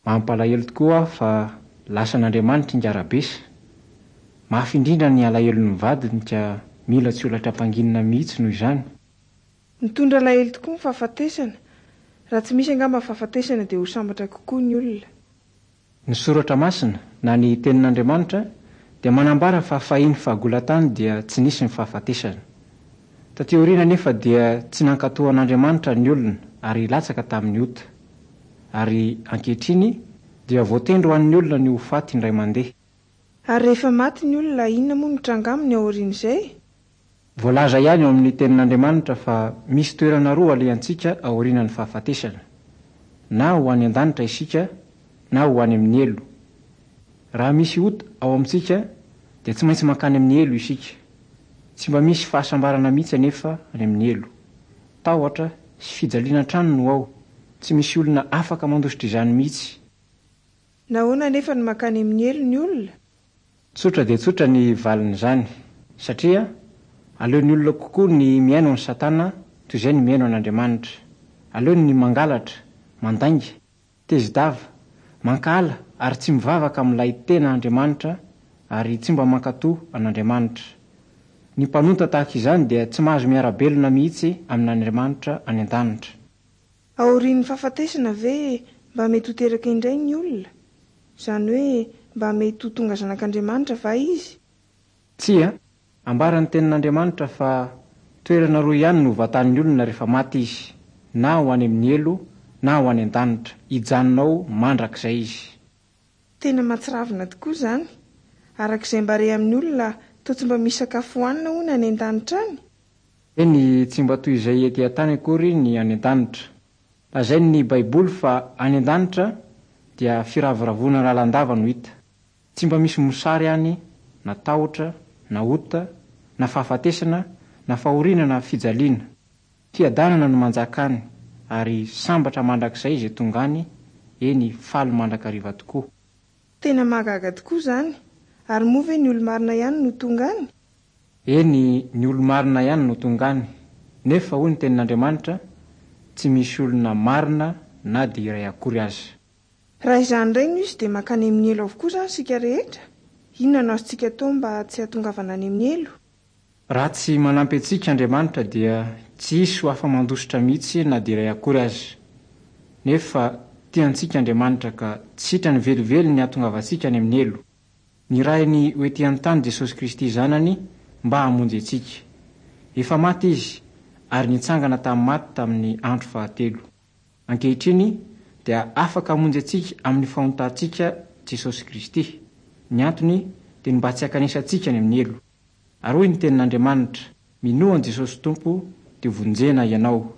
Mampalahelo tokoa fa lasan'Andriamanitra ingahy Rabesa. Mafy indrindra ny alahelon'ny vadiny ka mila tsy ho ampanginina mihitsy noho izany. Mitondra alahelo tokoa ny fahafatesana. Raha tsy misy angamba ny fahafatesana dia ho sambatra kokoa ny olona. Ny Soratra Masina, na ny Tenin'Andriamanitra, dia manambara fa fahiny fahagola tany dia tsy nisy ny fahafatesana. Taty aoriana anefa dia tsy nankatò an'Andriamanitra ny olona ary latsaka tamin'ny ota. Ary ankehitriny dia voatendry ho an'ny olona ny ho faty indray mandeha. Ary rehefa maty ny olona, inona moa no mitranga aminy aorian'izay? Voalaza ihany ao amin'ny Tenin'Andriamanitra fa misy toerana roa alehantsika aorianan'ny fahafatesana. Na ho any an-danitra isika, na ho any amin'ny helo. Raha misy ota ao amintsika, dia tsy maintsy mankany amin'ny helo isika. Tsy mba misy fahasambarana mihitsy anefa any amin'ny helo. Tahotra sy fijaliana hatrany no ao. Tsy misy olona afaka mandositra izany mihitsy. Nahoana anefa no mankany amin'ny helo ny olona? Tsotra dia tsotra ny valin'izany. Satria aleon'ny olona kokoa ny mihaino an'i Satana toy izay ny mihaino an'Andriamanitra. Aleony ny mangalatra, mandainga, tezi-dava, mankahala ary tsy mivavaka amin'ilay tena Andriamanitra ary tsy mba mankatò an'Andriamanitra. Ny mpanota tahaka izany dia tsy mahazo miara-belona mihitsy amin'Andriamanitra any an-danitra. Aorian'ny fahafatesana ve mba mety ho teraka indray ny olona? Izany hoe mba mety ho tonga zanak'Andriamanitra va izy? Tsia. Ambaran'ny Tenin'Andriamanitra fa toerana roa ihany no vatan'ny olona rehefa maty izy, na ho any amin'ny helo na ho any an-danitra, hijanona ao mandrakizay izy. Tena mahatsiravina tokoa izany. Araka izay mba re amin'ny olona, toa tsy mba misy sakafo hohanina hono any an-danitra any? Eny, tsy mba toy izay ety an-tany akory ny any an-danitra. Lazain'ny Baiboly fa any an-danitra dia firavoravoana lalandava no hita. Tsy mba misy mosary any, na tahotra, na ota, na fahafatesana, na fahoriana na fijaliana. Fiadanana no manjaka any, ary sambatra mandrakizay izay tonga any, eny, faly mandrakariva tokoa. Tena mahagaga tokoa izany. Ary moa ve ny olo-marina ihany no tonga any? Eny, ny olo-marina ihany no tonga any. Nefa hoy ny Tenin'Andriamanitra, Tsy misy olona marina na dia iray akory aza. Raha izany indray no izy dia mankany amin'ny helo avokoa izany isika rehetra? Inona no azontsika atao mba tsy hahatongavana any amin'ny helo? Raha tsy manampy antsika Andriamanitra dia tsy hisy ho afa-mandositra mihitsy na dia iray akory aza. Nefa tia antsika Andriamanitra ka tsy sitrany velively ny hahatongavantsika any amin'ny helo. Nirahiny ho ety an-tany Jesosy Kristy Zanany mba hamonjy antsika. Efa maty Izy ary nitsangana tamin'ny maty tamin'ny andro fahatelo. Ankehitriny dia afaka hamonjy antsika amin'ny fahontantsika Jesosy Kristy. Ny antony dia ny mba tsy hankanesantsika any amin'ny helo. Ary hoy ny Tenin'Andriamanitra, Minoa an'i Jesosy Tompo dia vonjena ianao.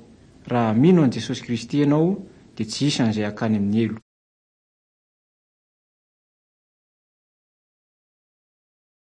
Raha mino an'i Jesosy Kristy ianao dia tsy hisy an'izay hakany amin'ny helo.